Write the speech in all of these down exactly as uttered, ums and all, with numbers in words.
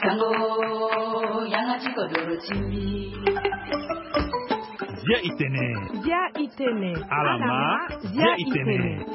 Sango, yanga ti kodoro ti mbi. Zia i tene. Zia i tene. Alama, zia i tene.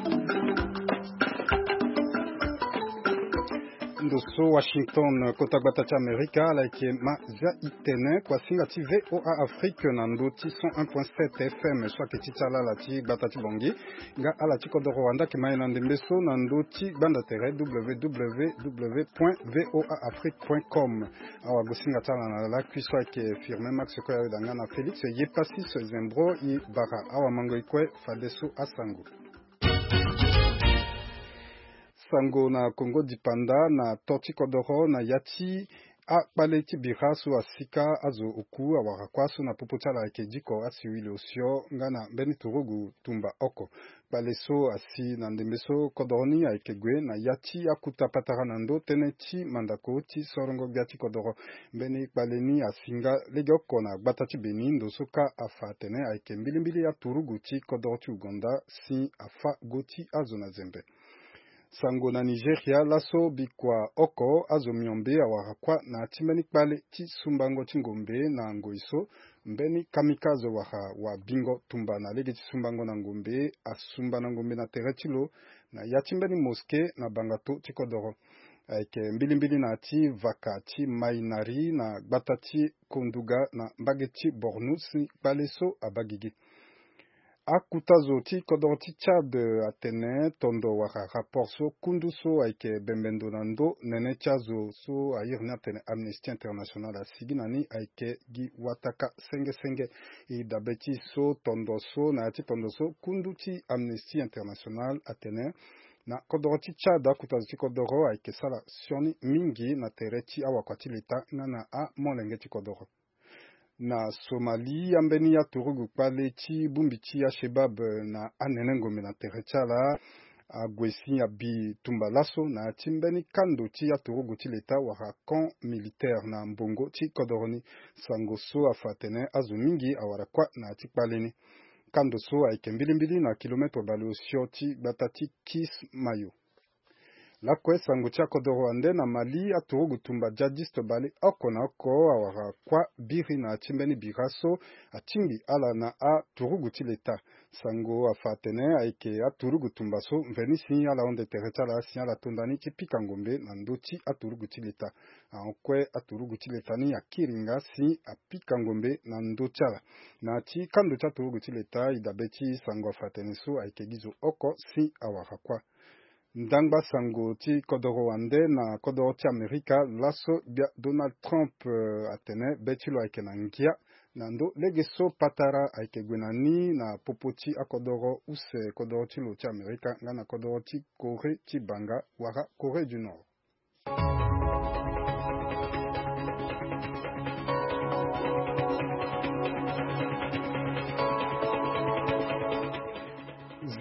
Ndo so Washington, kota gbata ti Amerika, ala yeke ma zia i tene, kuasinga ti V O A Afrique na ndö ti cent un point sept F M, so ayeke ti ti ala ala ti gbata ti Bangui. Nga ala ti kodoro wande ayeke ma e na ndembe so na ndö ti gbanda tere www point V O A Afrique point com. Awagosinga ti ala na lakui so ayeke Firmin Max Koyaweda nga na Félix Yepassis Zembro i bara. Awamangoi kue fadeso asango. Sango na Kongo dipanda na to ti kodoro na ya ti akpale ti bira so asika azo oku awara kuâ so na popo ti ala ayeke diko asiwili osio nga na mbeni turugu tumba oko. Kpale so asi na ndembe so kodoro ni ayeke gue na ya ti akuta patara na ndö tënë ti mandako ti sorongo gbia ti kodoro. Mbeni kpale ni asi nga legeoko na gbata ti Beni, ndo so kâ afa atene ayeke mbilimbili aturugu ti kodoro ti Uganda si afa go ti azo na zembe. Sango na Nigeria, laso bikua oko azo miombe awara kuâ na ya ti mbeni kpale ti sumbango ti ngombe na ngoi so mbeni kamikaze wala wabingo tumba na lege ti sumbango na ngombe, asumba na ngombe na tere ti lo na ya ti mbeni moske na bangato ti kodoro. Ayeke mbilimbili na ya ti vaka ti Mainari na gbata ti Konduga na mbage ti Borno si kpale so abaa gigi. Akuta zo ti kodoro ti Tchad atene tondo wala rapport so kundu so ayeke bembe ndo na ndö nene ti azo so airi ni atene Amnesty International asigi na ni ayeke gi wataka senge senge. E dabe ti so tondo so na ya ti tondo so kundu ti Amnesty International atene na kodoro ti Tchad akuta zo ti kodoro ayeke sara sioni mingi na tere ti awakua ti leta nga na amolenge ti kodoro. Na Somalie, ambeni aturugu kpale ti bongbi ti Al-Shabaab na anene ngombe na tere ti ala ague si abi tumba laso na ya ti mbeni kando ti aturugu ti leta wala camp militaire na mbongo ti kodoro ni. Sango so afa atene azo mingi awara kuâ na ya ti kpale ni. Kando so ayeke mbilimbili na kilometre bale osio ti gbata ti Kismayo. Lakue sango ti akodoro wande na Mali, aturugu tumba djihadiste bale oko na oko awara kuâ biri na ya ti mbeni bira so atingbi ala na aturugu ti leta. Sango afa atene ayeke aturugu tumba so mveni si ala hon de tere ti ala si ala to nda ni ti pika ngombe na ndö ti aturugu ti leta. Ahon kue aturugu ti leta ni akiri nga si apika ngombe na ndö ti ala. Na ya ti kando ti aturugu ti leta, e dabe ti sango afa atene so ayeke gi zo oko si awara kuâ. Ndangba sango ti kodoro wande na kodoro ti Amerika, laso gbia Donald Trump, eh, atene be ti lo ayeke na ngia na ndö lege so patara ayeke gue na ni na popo ti akodoro use kodoro ti lo ti Amerika nga na kodoro ti Corée ti banga wala Corée du Nord.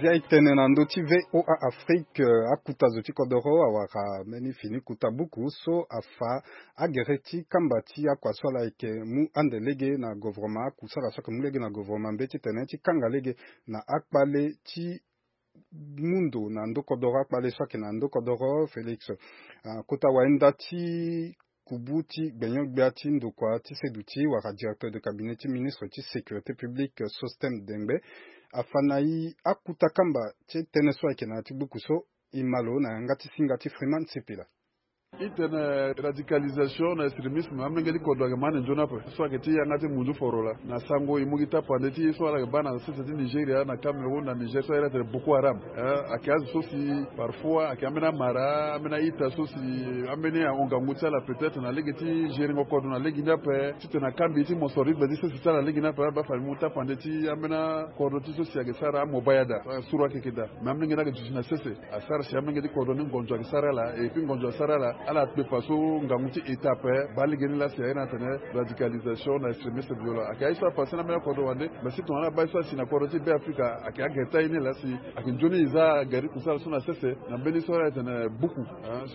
Zia e tene na ndö ti V O A Afrique, eh, akuta zo ti kodoro awara mbeni fini kuta buku so afa agere ti kamba ti akua so ala yeke mu ande lege na govoroma, akusala so ayeke mu lege na govoroma mbeti tene ti kanga lege na akpale ti mu ndo na ndö kodoro, akpale so ayeke na ndö kodoro Félix. Ah, kota wahinda ti kubu ti gbenyo-gbia ti ndokua ti seduti wala directeur de cabinet ti ministre ti sécurité publique, Sosthène Dengbe, afa na e akuta kamba ti tënë so ayeke na ya ti buku so. E ma lo na yanga ti singa ti Freeman Sipila. E tene radicalisation na extrémisme amolenge ti kodro ayeke ma ande nzoni ape. So ayeke ti yanga ti munzu foro laa na sango e mu gi tapande ti e so ala yeke baa na sese ti Nigeria, na Cameroun, na Niger, so ahiri atene Boko Haram. Eh, ayeke azo so si parfois ayeke ambeni amara, ambeni a-ita so si ambeni ahon ngangu ti ala peut-être na lege ti geringo kodro na lege ni ape. Titene akambi ti moso rythme ti sese ti ala na lege ni ape, ala baa fade e mu tapande ti ambeni akodro ti so si ayeke sara amobayada, eh, suru ayeke yeke daa. Me amolenge ni ayeke duti na sese. Asara si amolenge ti kodro ni ngonzo ayeke sara ala, et puis ngonzo asara ala Ala kpefa so ngangu ti état ape baa lege ni laa si aye na atene radicalisation na extrémiste violent ayeke aye so apase na ambeni akodro wande. Mais si tongana abaa ye so asi na kodro ti Be Afrika ayeke agere ti aye ni laa si ayeke nzoni e za gere ti kusala so na sese na mbeni so ala tene buku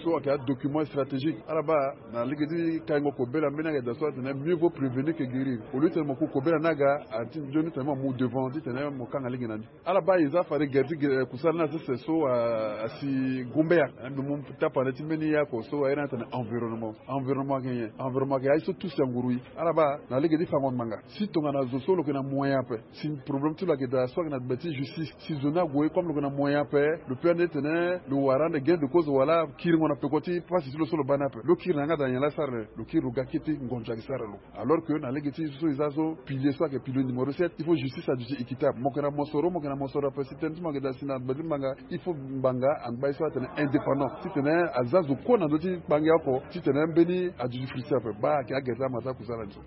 so ayeke adocument stratégique. Ala baa na lege ti kaingo kobela mbeni ayeke daa so atene mieux vaut prévenir que guérir. Au lieu ti tene mo ku kobela ni aga, ati nzoni ti tene mo mu devant ti tene mo kanga lege na ni. Ala baa e za fade gere ti gere kusala ni na sese so asi gumbeya. Mbi mu tapande ti mbeni ye oko so aye na atene environnement. Environnement ayeke nyen? Environnement ayeke aye so tusi anguru e. Ala baa na lege ti fango ngbanga si tongana zo so lo yeke na moyen ape, si problème ti lo ayeke daa so ayeke na gbe ti justice, si zo ni ague comme lo yeke na moyen ape, lo peut ande tene lo wara ande gain de cause wala kiringo na peko ti pasi ti lo so lo baa ni ape. Lo kiri na yanga daa nyen laa asara lo? Lo kiri lo ga kete ngonzo ayeke sara lo. Alors que na lege ti so e za so pilier so ayeke pilier numéro sept, il faut justice aduti équitable. Mo yeke na mosoro, mo yeke na mosoro ape si tënë ti mo ayeke daa si na gbe ti ngbanga, il faut ngbanga angba ye so atene indépendant ti tene aza zo kue na ndö ti kpangi oko ti tene mbeni aduti frustrer ape. Baa ayeke agere ti amata kusala ni so.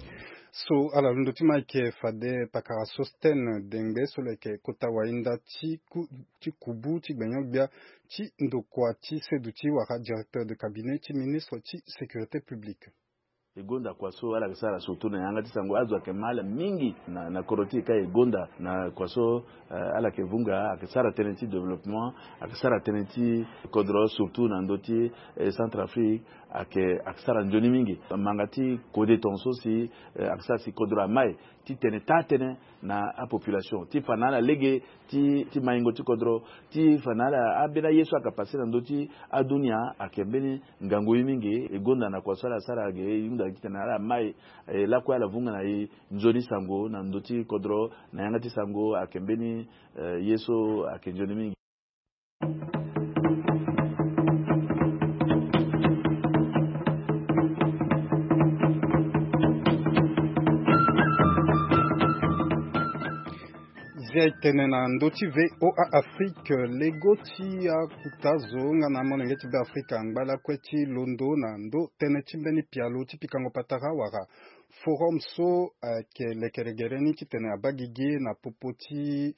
So ala londo ti mo ayeke fade pakara Sosthène Dengbe so lo yeke kota wahinda ti ku- ti kubu ti gbenyo-gbia ti ndokua ti seduti wala directeur de cabinet ti ministre ti sécurité publique. E gonda kua so ala yeke sara surtout na yanga ti sango azo ayeke ma ala mingi na, na kodro ti e ka e gonda na kua so, eh, ala yeke vunga ayeke sara tënë ti développement, ayeke sara tënë ti kodro surtout na ndö ti, eh, Centrafrique, ayeke, ayeke sara nzoni mingi. Manga ti kode tongaso si, eh, ayeke sara si kodro amai ti tene taa tënë na apopulation ti fa na ala lege ti, ti maingo ti kodro, ti fa na ala ambeni aye so ayeke passe na ndö ti adunia ayeke mbeni ngangu ye mingi. E gonda na kua so ala sara ge e hunda ti tene ala mai, eh, lakue ala vunga na e nzoni sango na ndö ti kodro na yanga ti sango ayeke mbeni, eh, ye so ayeke nzoni mingi. Zia e tene na ndö ti V O A Afrique, lego ti akuta zo nga na amolenge ti Be Afrika angba lakue ti londo na ndö tënë ti mbeni pialo ti pikango patara wala forum so ayeke lekere gere ni ti tene abaa gigi na popo ti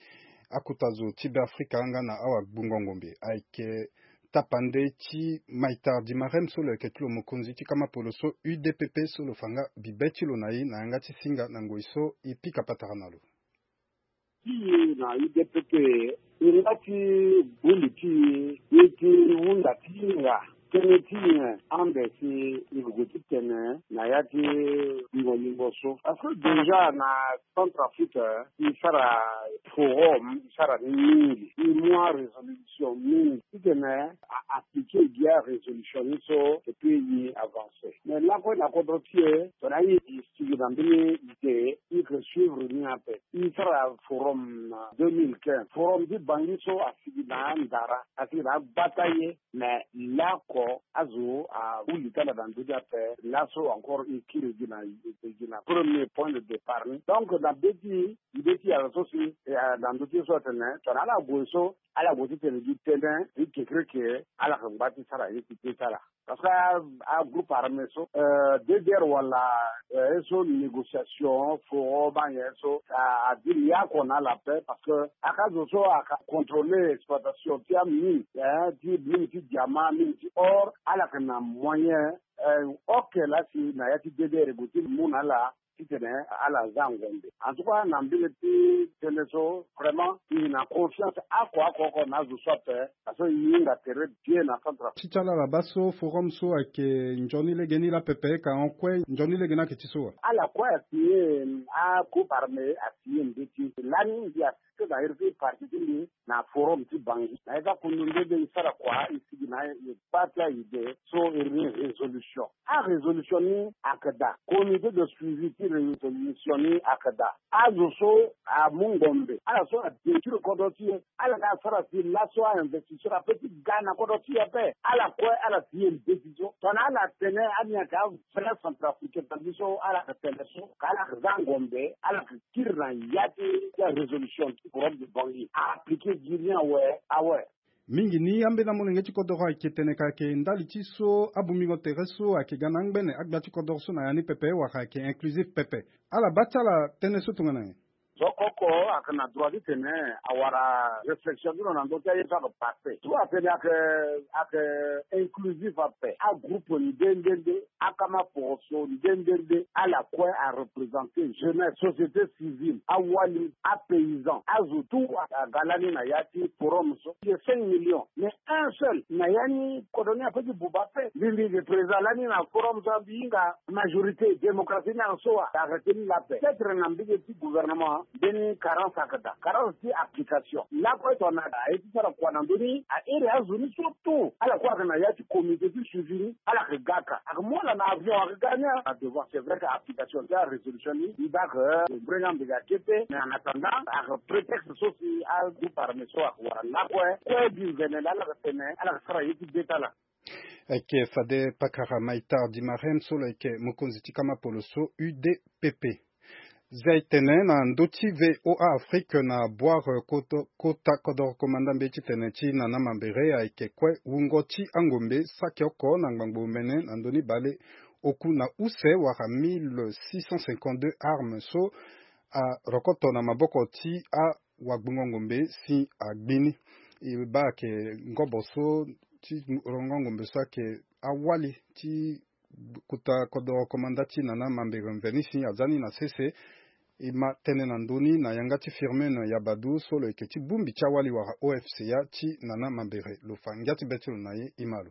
akuta zo ti Be Afrika nga na awagbungo ngombe. Ayeke tapande ti Maitar Dimarem so lo yeke ti lo mokonzi ti kama polo so U D P P so lo fa nga bibe ti lo na e na yanga ti singa na ngoi so e pika patara na lo. Ti e na U D P P, e nga ti bongbi ti e, e ti hunda ti hinga tënë ti nyen ande si e gue ti tene na ya ti lingo lingo so. Parce que déjà na Centrafrique, e sara forum, e sara ni mingi, e mu arésolution mingi. Titene a appliquer gi arésolution ni so, et puis e avancer. Mais lakue na kodro ti e, tongana e sigi na mbeni idée, e yeke suivre ni ape. E sara forum na deux mille quinze. Forum ti Bangui so asigi na ndara, asigi na agbata ye, mais laoko azo ahunda tala na ndö ni ape. Laso encore e kiri gi na, gi na premier point de départ ni. Donc na be ti, be ti ala so si, eh, na ndö ti ye so atene tongana ala gue so, ala gue ti tene gi tënë ti kekereke, ala yeke ngba ti sara ye ti pe ti ala. Parce que a, agroupe armé so, euh, D D R wala, euh, ye so négociation, forum, anyen ye so, a, a diri ye oko na ala ape, parce que aka zo so aka contrôler exploitation ti amine, eh, ti mine ti diamant, mine ti or, ala yeke na moyen, eh, ok laa si na ya ti D D R e gue ti mu na ala, titene ala za ngombe. En tout cas, na mbeni ti tënë so, vraiment, e na confiance oko oko oko na azo so ape, parce que e hinga tere bien na Centrafrique. Ti ti ala, ala baa so forum so ayeke nzoni lege ni laa pepe, ka hon kue nzoni lege ni ayeke ti so wa? Ala kue asigné, agroupe armé asigné mbeti. Lani mbi assisté na iri ti parti ti mbi na forum ti Bangui. Na e ga kundu nde be e sara kua, e sigi na e baa ti aide so iri ni résolution. Arésolution ni ayeke daa, comité de suivi ti résolution ni ayeke daa. Azo so amu ngombe, ala so adétruire kodro ti e, ala ga asara si laso a-investisseur apeut ti ga na kodro ti e ape. Ala kue ala signé mbeti so. Tongana ala tene ani ayeke avrai centrafricain, tandis so ala yeke tene so, ka ala yeke za ngombe, ala yeke kiri na ya ti, ti arésolution ti forum de Bangui. A appliqué gi ni awe, awe. Mingi ni ambeni amolenge ti kodoro ayeke tene ka ayeke ndali ti so abungbingo tere so ayeke ga na angbene agbia ti kodoro so na ya ni pepe, wala ayeke inclusif pepe. Ala baa ti ala tënë so tongana nyen? Donc oko ayeke na droit ti tene awara réflexion ti lo na ndö ti aye so ayeke passé. So atene ayeke ayeke inclusif ape, agroupe nde nde nde, akama poroso nde nde nde, ala kue areprésenter jeunesse, société civile, awali, apaysan, azo tout aga lani na ya ti forum so. Il y a cinq millions, mais un seul na ya ni kodro ni ape ti buba ape. Mbi mbi représenter lani na forum so, mbi hinga majorité, démocratie ni ayeke so wa, arrêter ni la paix. Peut-être na mbege ti gouvernement, mbeni carence ayeke daa, carence ti application. Lakue tongana aye ti sara kua na ndö ni, a iri azo ni surtout ala kue ayeke na ya ti comité ti suivi ni, ala yeke ga ka. Ayeke mu ala na avion, ayeke ga ni a devant. C'est vrai que application ti arésolution ni, mbi baa ayeke mbrenge ambega kete, mais en attendant ayeke prétexte so si agroupe armé so ayeke wara lakue kue. Mbi mvene laa ala yeke tene ala yeke sara ye ti be ti ala. Ayeke fade pakara Maïtar Dimarem so lo yeke mokonzi ti kama polo so U D P P. Zia e tene na ndö ti V O A Afrique na Boire, kota kodoro komanda mbeti tene ti Nana Mambere ayeke kue wungo ti angombe saki oko na ngbangbo omene na ndö ni bale oku na use wala mille six cent cinquante-deux armes so arokoto na maboko ti awagbongo ngombe si agbi ni. E baa ayeke ngobo so ti rongo ngombe so ayeke awali ti kota kodoro komanda ti Nana Mambere mveni si aza ni na sese. E ma tënë na ndö ni na yanga ti Firmin Yabadou so lo yeke ti bongbi ti awali wala O F C A ti Nana Mambere. Lo fa ngia ti be ti lo na ye, e ma lo.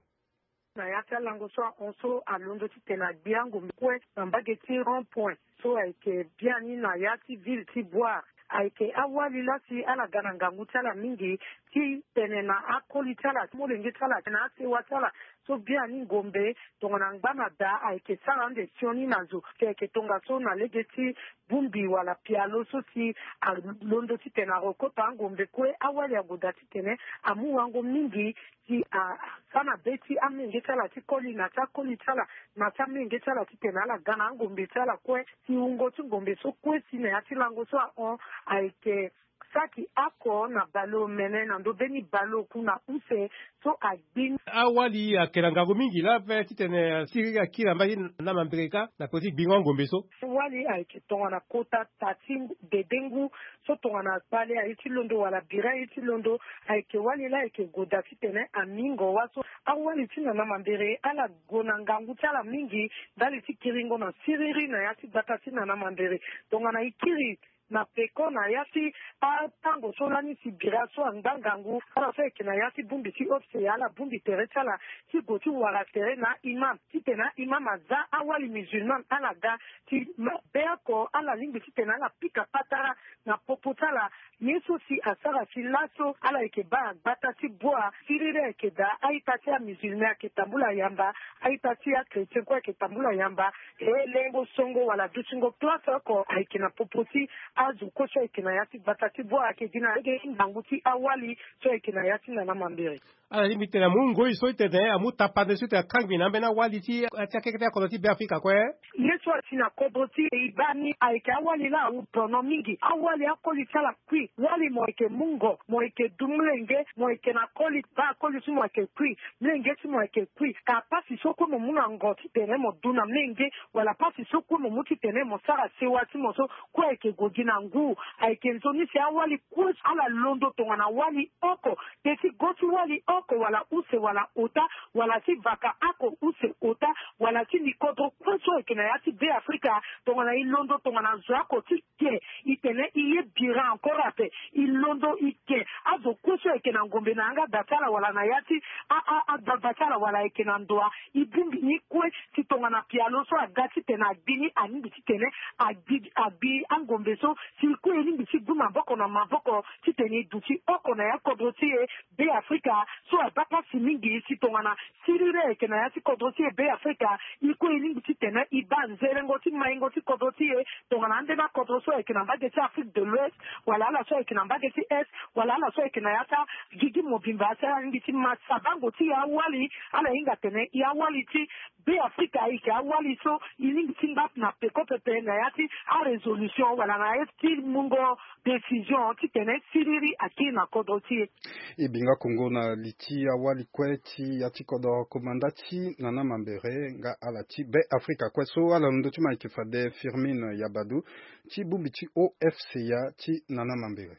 Na ya ti alango so ahon so alondo titene agbi angombe kue na mbage ti rond point so ayeke biani na ya ti ville ti Boire. Ayeke awali laa si ala ga na ngangu ti ala mingi titene na akoli ti ala, molenge ti ala, na asewa ti ala so biani ngombe tongana ngba na daa ayeke sara ande sioni na zo. Ayeke tongaso na lege ti bongbi wala pialo so si alondo titene arokota angombe kue, awali ague daa titene amu wango mingi ti a, asara na be ti amenge ti ala ti koli na ti akoli ti ala na ti amenge ti ala titene ala ga na angombe ti ala kue. Si wungo ti ngombe so kue si na ya ti lango so ahon ayeke saki oko na baleomene na ndö mbeni baleoku na use so agbi. Awali ayeke na ngangu mingi laa ape titene asiriri akiri na mbage ti Nana Mambere kâ na peko ti gbingo angombe so. Awali ayeke tongana kota ta ti dede ngu so tongana kpale aye ti londo wala bira aye ti londo, ayeke wali laa ayeke gue daa titene amingo wâ so. Awali ti Nana Mambere ala gue na ngangu ti ala mingi ndali ti kiringo na siriri na ya ti gbata ti Nana Mambere. Tongana e kiri na peko na ya ti atango so lani si bira so angba ngangu, ala so ayeke na ya ti bongbi ti O F C A ala bongbi tere ti ala ti gue ti wara tere na aimam titene aimam aza awali musulman ala ga ti ma, be oko ala lingbi titene ala pika patara na popo ti ala. Ye so si asara ti laso ala yeke baa gbata ti Boire siriri ayeke daa, a-ita ti amusulman ayeke tambula yamba, a-ita ti achrétien kue ayeke tambula yamba. E lengo songo wala dutingo place oko ayeke na popo ti azo kue so ayeke na ya ti gbata ti Boire, ayeke gi na lege ti ngangu ti awali so ayeke na ya ti Nana Mambere. Ala lingbi tene amu ngoi so tene amu tapande so tene akangbi na ambeni awali ti, ti akeke ti akodro ti Beafrika kue. Ye so asi na kodro ti e e baa ni ayeke awali laa awu tono mingi. Awali akoli ti ala kui. Wali mo yeke mungo, mo yeke du mlenge, mo yeke na koli, baa koli ti mo ayeke kui, mlenge ti mo ayeke kui. Ka pasi so kue mo mu na ngo titene mo du na mlenge, wala pasi so kue mo mu titene mo sara sewa ti mo so kue ayeke gue gi na ngu. Ayeke nzoni si awali kue ala londo tongana wali oko. Te ti go ti wali oko wala use wala ota, wala ti vaka oko use ota, wala ti li kodro kue so ayeke na ya ti Beafrika, tongana e londo tongana zo oko ti ke, e tene e ye bira encore ape, e londo e ke. Azo kue so ayeke na ngombe na yanga da ti ala wala na ya ti a, a, agbagba ti ala wala ayeke na ndo, e bongbi ni kue si tongana pialo so aga titene agbi ni, alingbi titene agbi, agbi angombe so si e kue e lingbi ti du maboko na maboko titene e duti oko na ya kodro ti e Beafrika. So abaa pasi mingi si tongana siriri ayeke na ya ti kodro ti e Beafrika, e kue e lingbi titene e baa nzerengo ti maingo ti kodro ti e. Tongana ande na kodro so ayeke na mbage ti Afrique de l'Ouest, wala ala so ayeke na mbage ti Est, wala ala so ayeke na ya ti agigi mobimba, si ala lingbi ti ma sabango ti e awali, ala hinga atene e awali ti Be afrika ayeke awali so e lingbi ti mba na peko pepe na ya ti arésolution wala na ya ti mungo décision titene siriri akiri na kodro ti e. E binga kongo na li ti awali kue ti ya ti kodro komanda ti nana mambere nga ala ti be afrika kue so ala londo ti ma yeke fade firmine yabadu ti bongbi ti ofca ti nana mambere.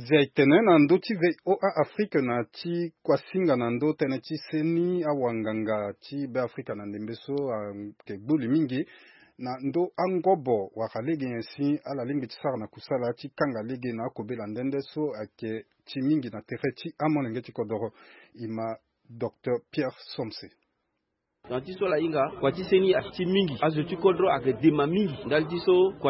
Zia etene na ndö ti voa afrique na ti kuasinga na ndö tënë ti seni awanganga ti beafrika na ndembe so ayeke gbuli mingi na ndö angobo wala lege nyen si ala lingbi ti sara na kusala ti kanga lege na akobela nde nde so ayeke ti mingi na tere ti amolenge ti kodoro. E ma docteur pierre somse. Na ti so ala hinga kua ti seni ati mingi azo ti kodro ayeke dema mingi ndali ti so kua